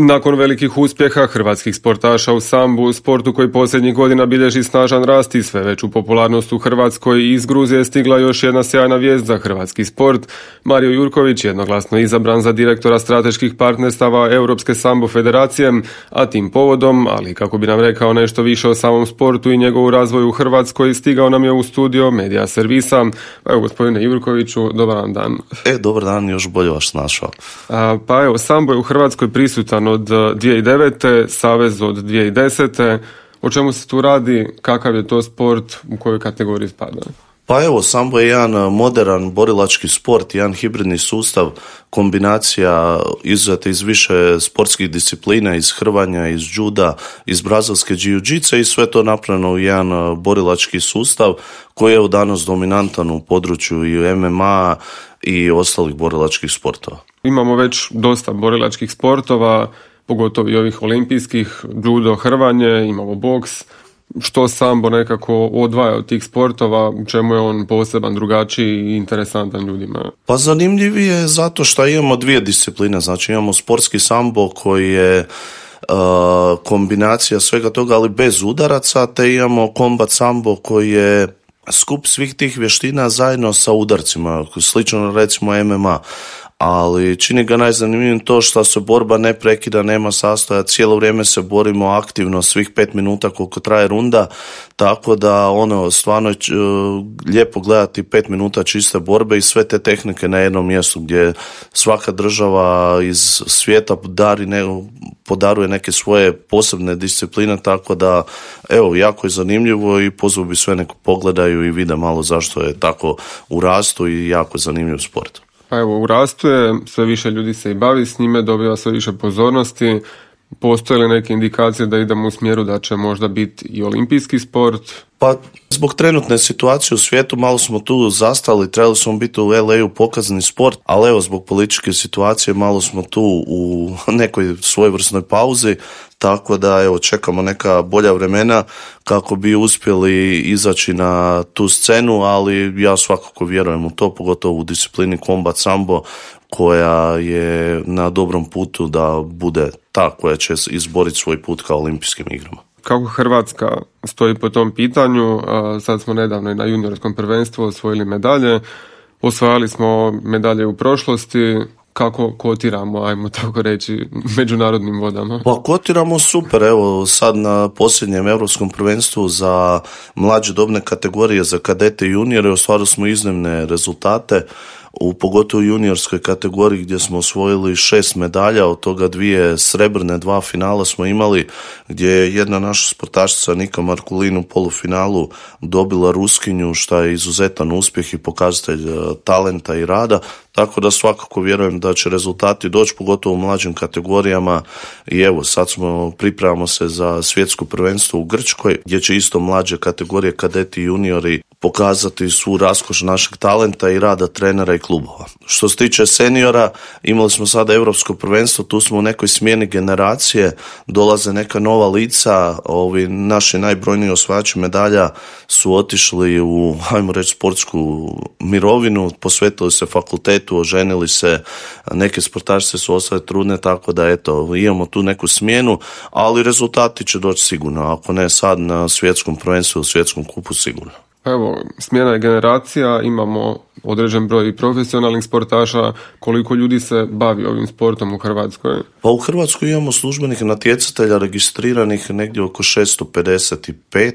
Nakon velikih uspjeha hrvatskih sportaša u sambu, sportu koji posljednjih godina bilježi snažan rast i sve veću popularnost u Hrvatskoj, iz Gruzije je stigla još jedna sjajna vijest za hrvatski sport. Mario Jurković jednoglasno izabran za direktora strateških partnerstava Europske sambo federacije, a tim povodom, ali kako bi nam rekao nešto više o samom sportu i njegovu razvoju u Hrvatskoj, stigao nam je u studio Medija servisa. Evo, gospodine Jurkoviću, dobar vam dan. Dobar dan, još bolje vas našao. Pa evo, sambo je u Hrvatskoj prisutan od 2009. Savez od 2010. O čemu se tu radi, kakav je to sport, u kojoj kategoriji spada? Pa evo, sambo je jedan moderan borilački sport, jedan hibridni sustav, kombinacija izuzeta iz više sportskih disciplina, iz hrvanja, iz juda, iz brazilske jiu-jitsu i sve to napravljeno u jedan borilački sustav koji je danas dominantan u području i MMA i ostalih borilačkih sportova. Imamo već dosta borilačkih sportova, pogotovo i ovih olimpijskih, judo, hrvanje, imamo boks. Što sambo nekako odvaja od tih sportova, u čemu je on poseban, drugačiji i interesantan ljudima? Pa zanimljiv je zato što imamo dvije discipline, znači imamo sportski sambo koji je kombinacija svega toga, ali bez udaraca, te imamo kombat sambo koji je skup svih tih vještina zajedno sa udarcima, slično recimo MMA. Ali čini ga najzanimljivim to što se borba ne prekida, nema sastoja, cijelo vrijeme se borimo aktivno svih 5 minuta koliko traje runda, tako da stvarno je lijepo gledati 5 minuta čiste borbe i sve te tehnike na jednom mjestu gdje svaka država iz svijeta podaruje neke svoje posebne discipline, tako da evo, jako je zanimljivo i pozvao bi sve neko pogledaju i vide malo zašto je tako u rastu i jako zanimljiv sport. Pa evo, u rastu je, sve više ljudi se i bavi s njime, dobiva sve više pozornosti. Postoje li neke indikacije da idemo u smjeru da će možda biti i olimpijski sport? Pa zbog trenutne situacije u svijetu malo smo tu zastali, trebali smo biti u LA-u pokazani sport, ali evo zbog političke situacije malo smo tu u nekoj svojevrsnoj pauzi, tako da evo čekamo neka bolja vremena kako bi uspjeli izaći na tu scenu, ali ja svakako vjerujem u to, pogotovo u disciplini kombat sambo koja je na dobrom putu da bude ta koja će izboriti svoj put ka olimpijskim igrama. Kako Hrvatska stoji po tom pitanju? Sad smo nedavno i na juniorskom prvenstvu osvojili medalje, osvajali smo medalje u prošlosti. Kako kotiramo, ajmo tako reći, međunarodnim vodama? Pa kotiramo super, evo sad na posljednjem europskom prvenstvu za mlađe dobne kategorije, za kadete i juniore, ostvarili smo iznimne rezultate, pogotovo u juniorskoj kategoriji gdje smo osvojili 6 medalja, od toga 2 srebrne, 2 finala smo imali, gdje je jedna naša sportašica Nika Markulin u polufinalu dobila Ruskinju, što je izuzetan uspjeh i pokazatelj talenta i rada, tako da svakako vjerujem da će rezultati doći, pogotovo u mlađim kategorijama i evo sad pripremamo se za svjetsko prvenstvo u Grčkoj, gdje će isto mlađe kategorije kadeti i juniori pokazati svu raskoš našeg talenta i rada trenera i klubova. Što se tiče seniora, imali smo sada europsko prvenstvo, tu smo u nekoj smjeni generacije, dolaze neka nova lica, ovi naši najbrojniji osvajači medalja su otišli u, ajmo reći, sportsku mirovinu, posvetili se fakultetu, oženili se, neke sportašice su ostale trudne, tako da eto, imamo tu neku smjenu, ali rezultati će doći sigurno, ako ne sad na svjetskom prvenstvu, u svjetskom kupu sigurno. Evo, smjena je generacija, imamo određen broj profesionalnih sportaša. Koliko ljudi se bavi ovim sportom u Hrvatskoj? Pa u Hrvatskoj imamo službenih natjecatelja registriranih negdje oko 655,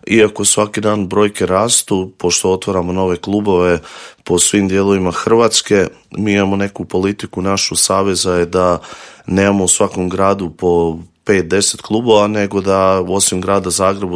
iako svaki dan brojke rastu, pošto otvaramo nove klubove po svim dijelovima Hrvatske. Mi imamo neku politiku našu saveza je da nemamo u svakom gradu po 5-10 klubova, nego da osim grada Zagreba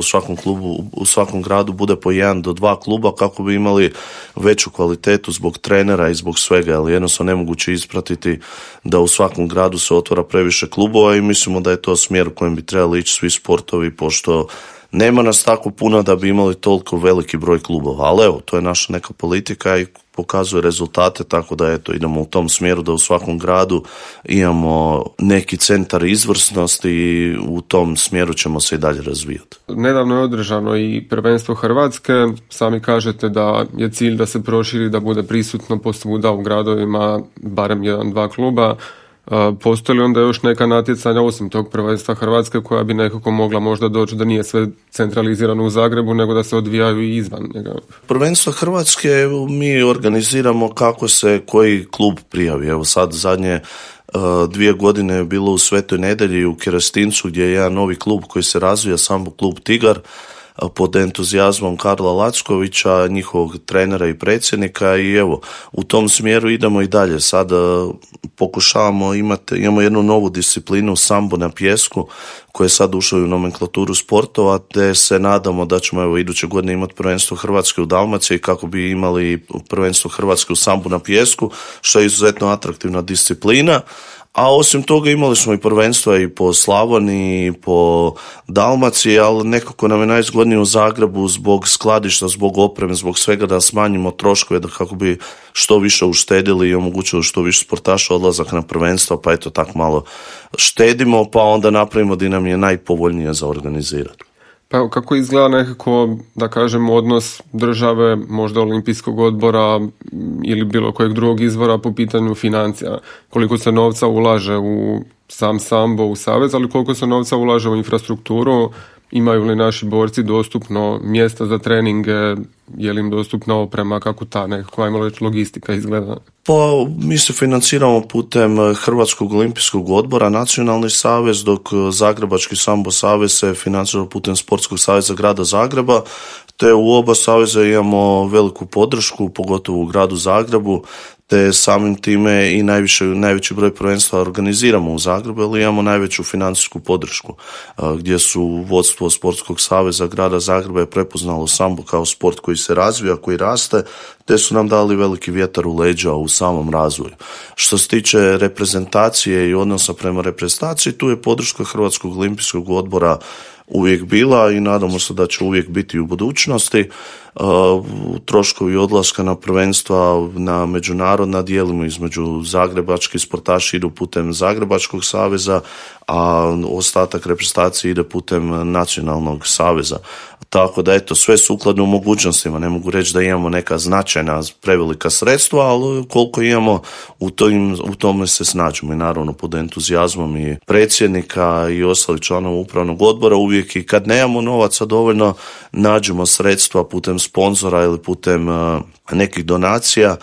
u svakom gradu bude po 1 do 2 kluba kako bi imali veću kvalitetu zbog trenera i zbog svega, ali jednostavno nemoguće ispratiti da u svakom gradu se otvara previše klubova i mislimo da je to smjer u kojem bi trebali ići svi sportovi, pošto nema nas tako puno da bi imali toliko veliki broj klubova, ali evo, to je naša neka politika i pokazuje rezultate, tako da eto, idemo u tom smjeru da u svakom gradu imamo neki centar izvrsnosti i u tom smjeru ćemo se i dalje razvijati. Nedavno je održano i prvenstvo Hrvatske, sami kažete da je cilj da se proširi, da bude prisutno posvuda u gradovima barem 1-2 kluba. Postoji li onda još neka natjecanja osim tog prvenstva Hrvatske koja bi nekako mogla možda doći da nije sve centralizirano u Zagrebu nego da se odvijaju i izvan njega? Prvenstvo Hrvatske mi organiziramo kako se koji klub prijavi. Evo sad zadnje 2 godine je bilo u Svetoj Nedelji u Kerestincu gdje je jedan novi klub koji se razvija, Sambo klub Tigar, pod entuzijazmom Karla Lackovića, njihovog trenera i predsjednika, i evo, u tom smjeru idemo i dalje. Sad pokušavamo imamo jednu novu disciplinu, sambo na pijesku, koja je sad ušla u nomenklaturu sportova, te se nadamo da ćemo evo iduće godine imati prvenstvo Hrvatske u Dalmaciji kako bi imali prvenstvo Hrvatske u sambu na pijesku, što je izuzetno atraktivna disciplina. A osim toga imali smo i prvenstva i po Slavoniji, i po Dalmaciji, ali nekako nam je najzgodnije u Zagrebu zbog skladišta, zbog opreme, zbog svega da smanjimo troškove, da kako bi što više uštedili i omogućili što više sportaša odlazak na prvenstva, pa eto tak malo štedimo, pa onda napravimo da nam je najpovoljnije za organizirati. Pa kako izgleda nekako, da kažem, odnos države, možda Olimpijskog odbora ili bilo kojeg drugog izvora po pitanju financija? Koliko se novca ulaže u sam sambo, u savez, ali koliko se novca ulaže u infrastrukturu? Imaju li naši borci dostupno mjesta za treninge? Je li im dostupna oprema? Kako ta nekakva, ajmo reći, logistika izgleda? Pa mi se financiramo putem Hrvatskog olimpijskog odbora, nacionalni savez, dok Zagrebački sambo savez se financira putem Sportskog saveza grada Zagreba, te u oba saveza imamo veliku podršku, pogotovo u gradu Zagrebu, te samim time i najveći broj prvenstva organiziramo u Zagrebu, ali imamo najveću financijsku podršku, gdje su vodstvo Sportskog saveza grada Zagreba je prepoznalo sambo kao sport koji se razvija, koji raste, te su nam dali veliki vjetar u leđa u samom razvoju. Što se tiče reprezentacije i odnosa prema reprezentaciji, tu je podrška Hrvatskog olimpijskog odbora uvijek bila i nadamo se da će uvijek biti u budućnosti. Troškovi odlaska na prvenstva na međunarodna dijelimo između zagrebački sportaši idu putem Zagrebačkog saveza, a ostatak reprezentacije ide putem nacionalnog saveza. Tako da eto, sve sukladno u mogućnostima, ne mogu reći da imamo neka značajna prevelika sredstva, ali koliko imamo u tome se snađemo i naravno pod entuzijazmom i predsjednika i ostalih članova upravnog odbora uvijek, i kad nemamo novaca dovoljno nađemo sredstva putem sponzora ili putem nekih donacija,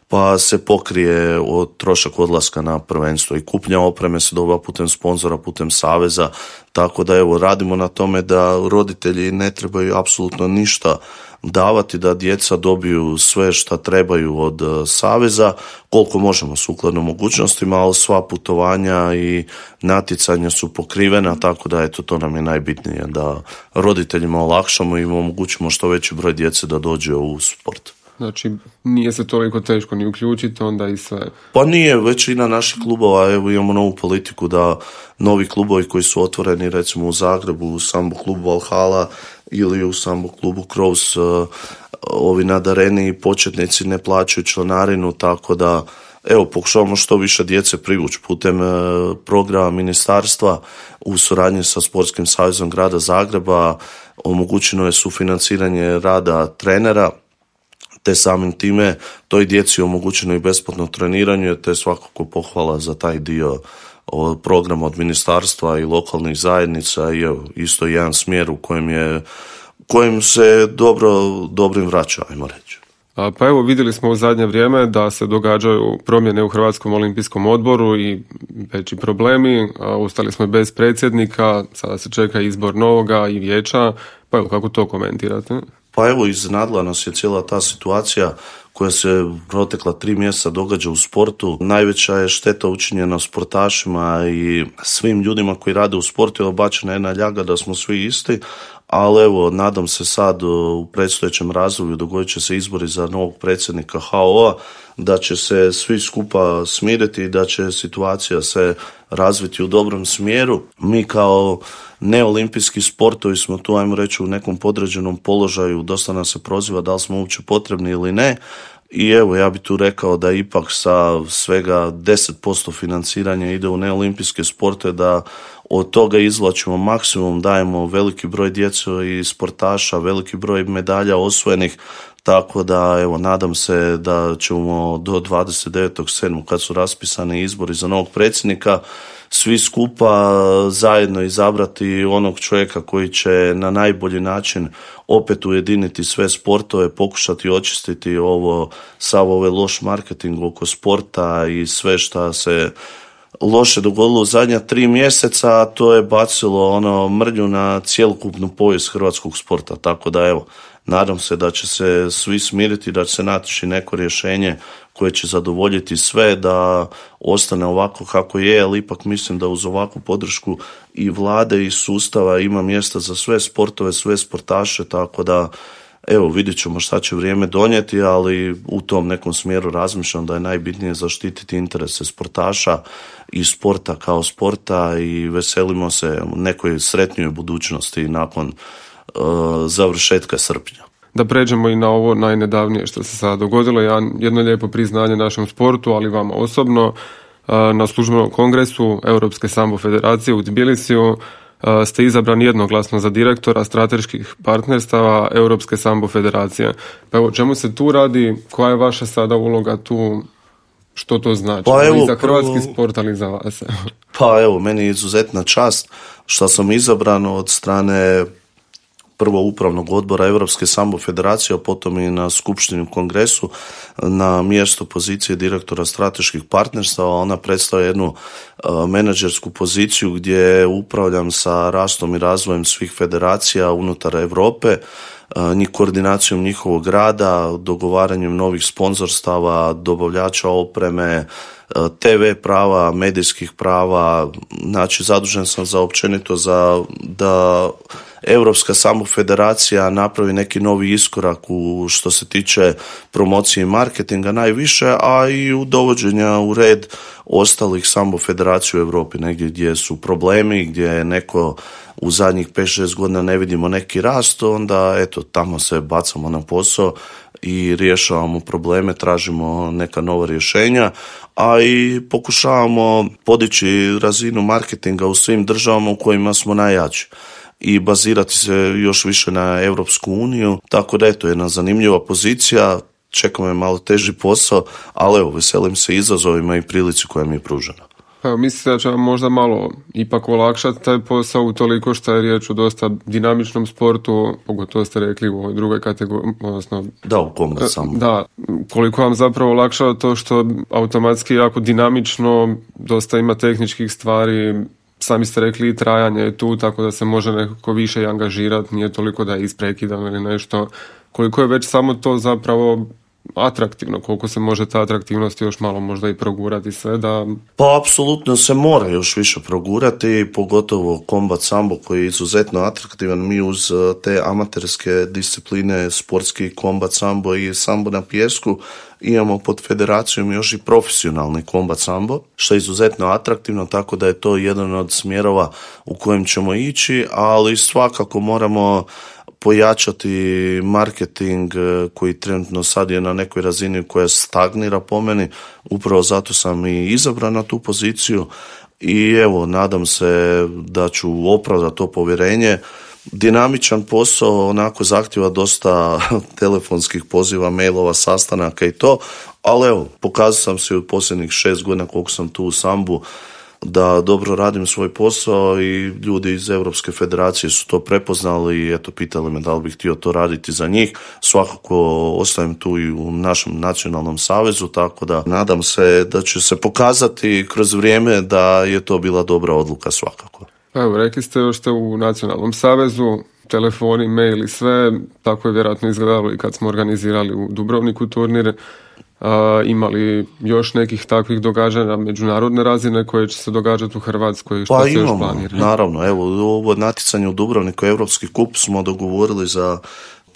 pa se pokrije trošak odlaska na prvenstvo i kupnja opreme se dobiva putem sponzora, putem saveza, tako da evo radimo na tome da roditelji ne trebaju apsolutno ništa davati, da djeca dobiju sve što trebaju od saveza, koliko možemo sukladno mogućnostima, ali sva putovanja i natjecanja su pokrivena, tako da eto, to nam je najbitnije, da roditeljima olakšamo i omogućimo što veći broj djece da dođe u sport. Znači, nije se toliko teško ni uključiti, onda i sve. Pa nije, većina naših klubova, evo imamo novu politiku da novi klubovi koji su otvoreni recimo u Zagrebu, u sambo klubu Valhalla ili u sambo klubu Kroos, ovi nadareni početnici ne plaćaju članarinu, tako da evo pokušavamo što više djece privući putem programa ministarstva u suradnji sa Sportskim savezom grada Zagreba. Omogućeno je sufinanciranje rada trenera, te samim time toj djeci omogućeno i besplatno treniranje, te svakako pohvala za taj dio programa od ministarstva i lokalnih zajednica i isto jedan smjer u kojem se dobro im vraća, ajmo reći. Pa evo, vidjeli smo u zadnje vrijeme da se događaju promjene u Hrvatskom olimpijskom odboru i veći problemi. Ostali smo bez predsjednika, sada se čeka izbor novoga i vijeća. Pa evo, kako to komentirate? Pa evo, iznenadila nas je cijela ta situacija koja se protekla 3 mjeseca događa u sportu. Najveća je šteta učinjena sportašima i svim ljudima koji rade u sportu, je obačena jedna ljaga da smo svi isti, ali evo, nadam se sad u predstojećem razdoblju dogodit će se izbori za novog predsjednika HOO-a, da će se svi skupa smiriti i da će situacija se razviti u dobrom smjeru. Mi kao neolimpijski sportovi smo tu, ajmo reći, u nekom podređenom položaju, dosta nas se proziva da li smo uopće potrebni ili ne. I evo, ja bih tu rekao da ipak sa svega 10% financiranja ide u neolimpijske sportove, da od toga izvlačimo maksimum, dajemo veliki broj djece i sportaša, veliki broj medalja osvojenih, tako da evo nadam se da ćemo do 29.7. kad su raspisani izbori za novog predsjednika svi skupa zajedno izabrati onog čovjeka koji će na najbolji način opet ujediniti sve sportove, pokušati očistiti sav ovaj loš marketing oko sporta i sve šta se loše dogodilo u zadnja 3 mjeseca, a to je bacilo mrlju na cjelokupnu povijest hrvatskog sporta. Tako da evo, nadam se da će se svi smiriti, da će se naći neko rješenje koje će zadovoljiti sve, da ostane ovako kako je, ali ipak mislim da uz ovakvu podršku i vlade i sustava ima mjesta za sve sportove, sve sportaše, tako da evo, vidjet ćemo šta će vrijeme donijeti, ali u tom nekom smjeru razmišljam da je najbitnije zaštititi interese sportaša i sporta kao sporta i veselimo se nekoj sretnijoj budućnosti nakon završetka srpnja. Da pređemo i na ovo najnedavnije što se sada dogodilo, jedno lijepo priznanje našem sportu, ali vama osobno. Na službenom kongresu Europske sambo federacije u Tbilisiju ste izabrani jednoglasno za direktora strateških partnerstava Europske sambo federacije. Pa evo, čemu se tu radi, koja je vaša sada uloga tu, što to znači? Pa evo, i za hrvatski sport, ali i za vas. Pa evo, meni je izuzetna čast što sam izabran od strane prvo upravnog odbora Europske sambo federacije, a potom i na skupštini u kongresu na mjesto pozicije direktora strateških partnerstava. Ona predstavlja jednu menadžersku poziciju gdje upravljam sa rastom i razvojem svih federacija unutar Europe, koordinacijom njihovog rada, dogovaranjem novih sponzorstava, dobavljača opreme, TV prava, medijskih prava. Znači, zadužen sam za općenito da Europska sambo federacija napravi neki novi iskorak u što se tiče promocije i marketinga najviše, a i u dovođenja u red ostalih sambo federacija u Europi, negdje gdje su problemi, gdje je neko u zadnjih 5-6 godina ne vidimo neki rast, onda eto, tamo se bacamo na posao i rješavamo probleme, tražimo neka nova rješenja, a i pokušavamo podići razinu marketinga u svim državama u kojima smo najjači i bazirati se još više na Europsku uniju, tako da eto, jedna zanimljiva pozicija, čeka me malo teži posao, ali evo, veselim se izazovima i prilici koja mi je pružena. Evo, mislite da će vam možda malo ipak olakšati taj posao utoliko što je riječ o dosta dinamičnom sportu, pogotovo ste rekli u ovoj drugoj kategoriji, odnosno... Da, u kombat samo. Da, koliko vam zapravo olakšava to što automatski jako dinamično, dosta ima tehničkih stvari, sami ste rekli i trajanje je tu, tako da se može nekako više i angažirati, nije toliko da je isprekidano ili nešto. Koliko je već samo to zapravo atraktivno, koliko se može ta atraktivnost još malo možda i progurati sve da... Pa apsolutno se mora još više progurati, pogotovo kombat sambo koji je izuzetno atraktivan. Mi uz te amaterske discipline, sportski kombat sambo i sambo na pijesku, imamo pod federacijom još i profesionalni kombat sambo, što je izuzetno atraktivno, tako da je to jedan od smjerova u kojem ćemo ići, ali svakako moramo pojačati marketing koji trenutno sad je na nekoj razini koja stagnira po meni, upravo zato sam i izabran na tu poziciju i evo, nadam se da ću opravdati to povjerenje. Dinamičan posao, onako zahtjeva dosta telefonskih poziva, mailova, sastanaka i to, ali evo, pokazao sam se u posljednjih 6 godina koliko sam tu u sambu da dobro radim svoj posao i ljudi iz Europske federacije su to prepoznali i eto, pitali me da li bih htio to raditi za njih. Svakako ostajem tu i u našem nacionalnom savezu, tako da nadam se da će se pokazati kroz vrijeme da je to bila dobra odluka svakako. Evo, rekli ste još ste u nacionalnom savezu, telefoni, mail i sve, tako je vjerojatno izgledalo i kad smo organizirali u Dubrovniku turnir. Imali još nekih takvih događanja međunarodne razine koje će se događati u Hrvatskoj? Što pa se imamo, još planira? Naravno, evo, ovo natjecanje u Dubrovniku, Europski kup smo dogovorili za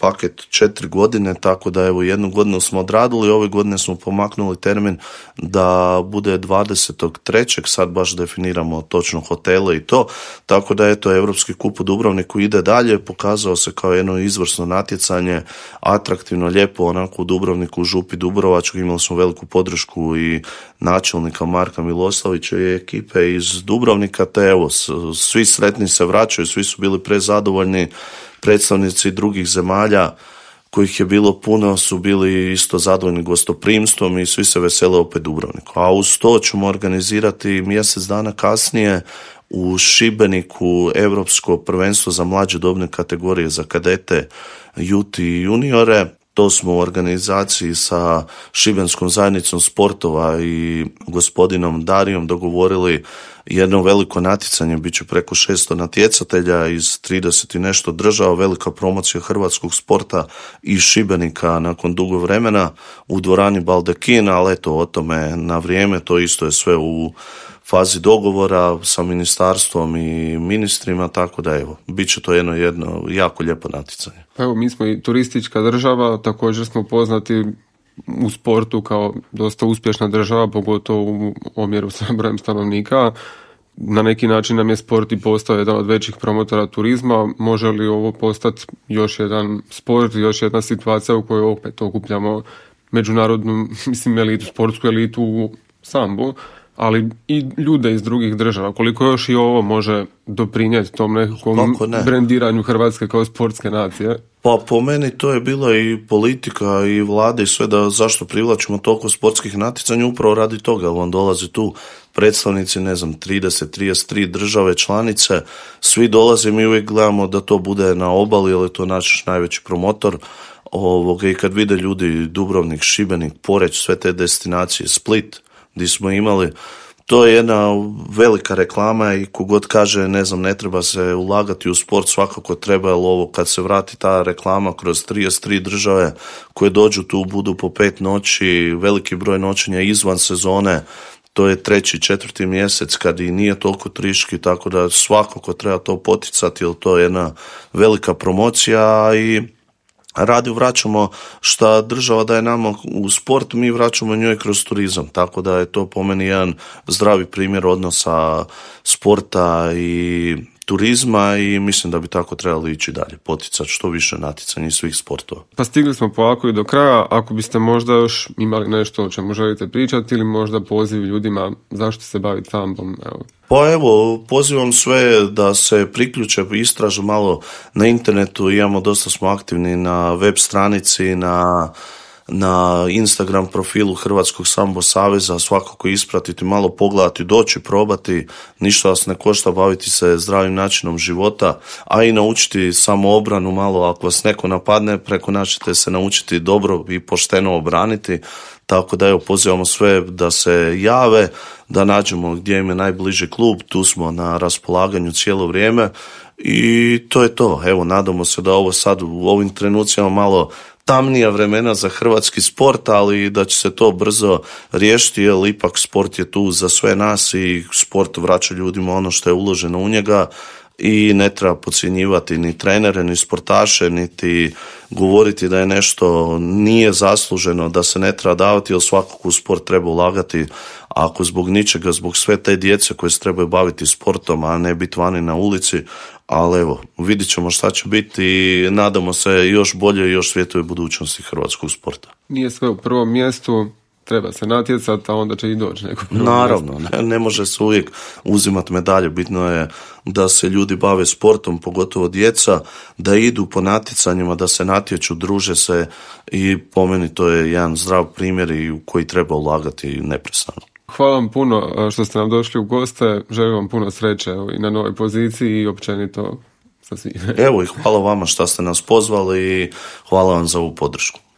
paket 4 godine, tako da evo 1 godinu smo odradili, ove godine smo pomaknuli termin da bude 23. sad baš definiramo točno hotele i to, tako da eto Europski kup u Dubrovniku ide dalje, pokazao se kao jedno izvrsno natjecanje, atraktivno, lijepo, onako u Dubrovniku, u Župi Dubrovačkoj imali smo veliku podršku i načelnika Marka Miloslavića i ekipe iz Dubrovnika, te evo svi sretni se vraćaju, svi su bili prezadovoljni, predstavnici drugih zemalja kojih je bilo puno, su bili isto zadovoljni gostoprimstvom i svi se vesele opet Dubrovniku. A uz to ćemo organizirati mjesec dana kasnije u Šibeniku Europsko prvenstvo za mlađe dobne kategorije za kadete, juti i juniore. To smo u organizaciji sa Šibenskom zajednicom sportova i gospodinom Darijom dogovorili jedno veliko natjecanje, bit će preko 600 natjecatelja iz 30 i nešto država, velika promocija hrvatskog sporta iz Šibenika nakon dugo vremena u dvorani Baldekin, ali eto o tome na vrijeme, to isto je sve u fazi dogovora sa ministarstvom i ministrima, tako da evo, bit će to jedno jako lijepo natjecanje. Evo, mi smo i turistička država, također smo poznati u sportu kao dosta uspješna država, pogotovo u omjeru sa brojem stanovnika. Na neki način nam je sport i postao jedan od većih promotora turizma. Može li ovo postati još jedan sport, još jedna situacija u kojoj opet okupljamo međunarodnu, elitu, sportsku elitu u sambu, ali i ljude iz drugih država? Koliko još i ovo može doprinijeti tom nekakvom brendiranju Hrvatske kao sportske nacije? Pa po meni to je bila i politika i vlada i sve, da zašto privlačimo toliko sportskih natjecanja, upravo radi toga, jer vam dolaze tu predstavnici, 33 države članice, svi dolaze, mi uvijek gledamo da to bude na obali, jer je to naš najveći promotor. I kad vide ljudi Dubrovnik, Šibenik, Poreč, sve te destinacije, Split, gdje smo imali, to je jedna velika reklama i kogod kaže ne treba se ulagati u sport, svakako treba, jer ovo kad se vrati ta reklama kroz 33 države koje dođu tu, budu po 5 noći, veliki broj noćenja izvan sezone, to je 3. 4. mjesec kad i nije toliko turistički, tako da svakako treba to poticati, jer to je jedna velika promocija i radi vraćamo šta država daje nama u sport, mi vraćamo njoj kroz turizam, tako da je to po meni jedan zdravi primjer odnosa sporta i turizma i mislim da bi tako trebali ići dalje, poticati što više natjecanja svih sportova. Pa stigli smo polako i do kraja, ako biste možda još imali nešto o čemu želite pričati ili možda poziv ljudima zašto se baviti sambom, evo. Pa evo, pozivam sve da se priključe, istražu malo na internetu, dosta smo aktivni na web stranici, na Instagram profilu Hrvatskog sambo saveza, svakako ispratiti, malo pogledati, doći, probati, ništa vas ne košta, baviti se zdravim načinom života, a i naučiti samoobranu malo, ako vas neko napadne, preko nas ćete se naučiti dobro i pošteno obraniti, tako da evo, pozivamo sve da se jave, da nađemo gdje im je najbliži klub, tu smo na raspolaganju cijelo vrijeme i to je to. Evo, nadamo se da ovo sad u ovim trenucima malo tamnija vremena za hrvatski sport, ali da će se to brzo riješiti, jer ipak sport je tu za sve nas i sport vraća ljudima ono što je uloženo u njega i ne treba podcjenjivati ni trenere, ni sportaše, niti govoriti da je nešto nije zasluženo, da se ne treba davati, jer svakako u sport treba ulagati, ako zbog ničega, zbog sve te djece koje se trebaju baviti sportom, a ne biti vani na ulici, ali evo, vidit ćemo šta će biti i nadamo se još bolje i još svjetloj budućnosti hrvatskog sporta. Nije sve u prvom mjestu, treba se natjecati, a onda će i doći neko prvo Naravno, ne može se uvijek uzimati medalje, bitno je da se ljudi bave sportom, pogotovo djeca, da idu po natjecanjima, da se natječu, druže se i po meni to je jedan zdrav primjer i u koji treba ulagati neprestano. Hvala vam puno što ste nam došli u goste, želim vam puno sreće i na novoj poziciji i općenito sa svim. Evo i hvala vama što ste nas pozvali i hvala vam za ovu podršku.